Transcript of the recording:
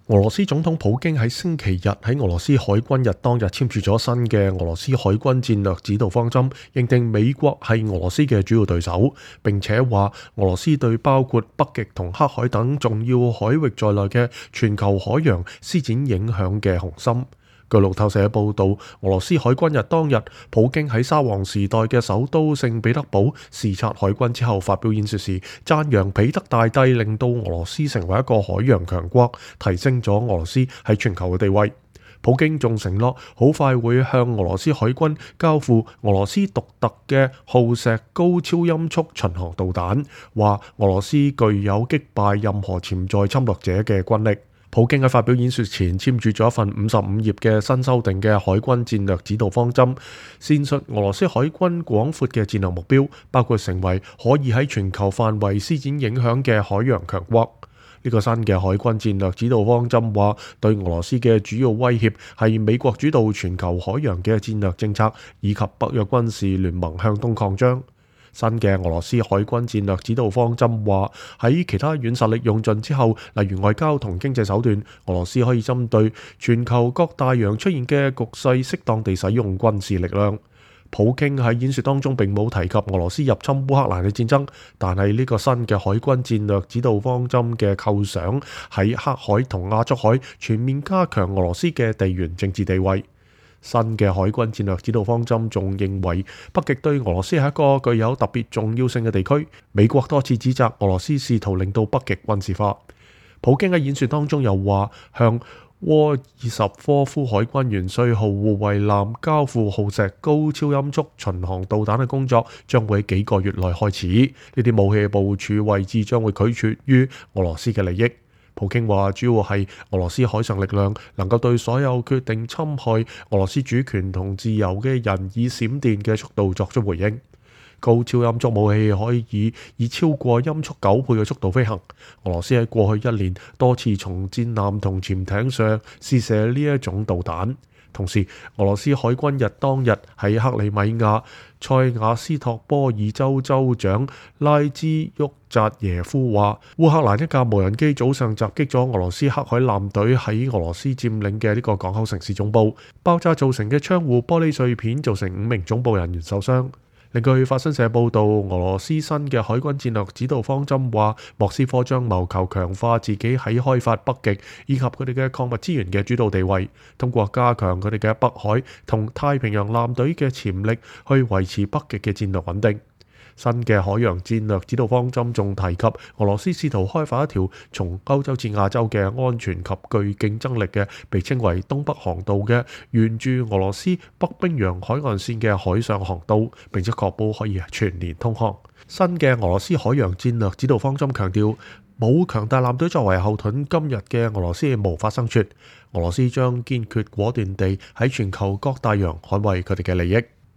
俄羅斯總統普京喺星期日喺俄羅斯海軍日當日簽署咗新嘅俄羅斯海軍戰略指導方針，認定美國係俄羅斯嘅主要對手，並且話俄羅斯對包括北極同黑海等重要海域在內嘅全球海洋施展影響嘅雄心。據路透社報導，俄羅斯海軍日當日，普京喺沙皇時代嘅首都聖彼得堡視察海軍之後發表演說時，讚揚彼得大帝令到俄羅斯成為一個海洋強國，提升咗俄羅斯喺全球嘅地位。普京仲承諾好快會向俄羅斯海軍交付俄羅斯獨特嘅鋯石高超音速巡航導彈，話俄羅斯具有擊敗任何潛在侵略者嘅軍力。普京喺發表演說前簽署咗一份55頁嘅新修訂嘅海軍戰略指導方針，闡述俄羅斯海軍廣闊嘅戰略目標，包括成為可以喺全球範圍施展影響嘅海洋強國。呢個新嘅海軍戰略指導方針話，對俄羅斯嘅主要威脅係美國主導全球海洋嘅戰略政策，以及北約軍事聯盟向東擴張。新嘅俄羅斯海軍戰略指導方針話，喺其他軟實力用盡之後，例如外交同經濟手段，俄羅斯可以針對全球各大洋出現嘅局勢，適當地使用軍事力量。普京喺演說當中並冇提及俄羅斯入侵烏克蘭嘅戰爭，但係呢個新嘅海軍戰略指導方針嘅構想喺黑海同亞速海全面加強俄羅斯嘅地緣政治地位。新嘅海軍戰略指導方針仲認為，北極對俄羅斯係一個具有特別重要性嘅地區。美國多次指責俄羅斯試圖令到北極軍事化。普京喺演說當中又話，向沃爾什科夫海軍元帥號護衛艦交付鋯石高超音速巡航導彈嘅工作將會喺幾個月內開始。呢啲武器嘅部署位置將會取決於俄羅斯嘅利益。普京話，主要係俄羅斯海上力量能夠對所有決定侵害俄羅斯主權同自由嘅人以閃電嘅速度作出回應。高超音速武器可以超過音速9倍嘅速度飛行。俄羅斯喺過去1年多次從戰艦同潛艇上試射呢一種導彈。同時，俄羅斯海軍日當日喺克里米亞塞瓦斯托波爾州州長拉茲沃扎耶夫話，烏克蘭一架無人機早上襲擊咗俄羅斯黑海艦隊喺俄羅斯佔領嘅呢個港口城市總部，爆炸造成嘅窗戶玻璃碎片造成5名總部人員受傷。另據法新社報導，俄羅斯新嘅海軍戰略指導方針話，莫斯科將謀求強化自己喺開發北極以及佢哋嘅礦物資源嘅主導地位，通過加強佢哋嘅北海同太平洋艦隊嘅潛力，去維持北極嘅戰略穩定。新嘅海洋戰略指導方針仲提及，俄羅斯試圖開發一條從歐洲至亞洲嘅安全及具競爭力嘅，被稱為東北航道嘅沿住俄羅斯北冰洋海岸線嘅海上航道，並且確保可以全年通航。新嘅俄羅斯海洋戰略指導方針強調，冇強大艦隊作為後盾，今日嘅俄羅斯無法生存。俄羅斯將堅決果斷地喺全球各大洋捍衛佢哋嘅利益。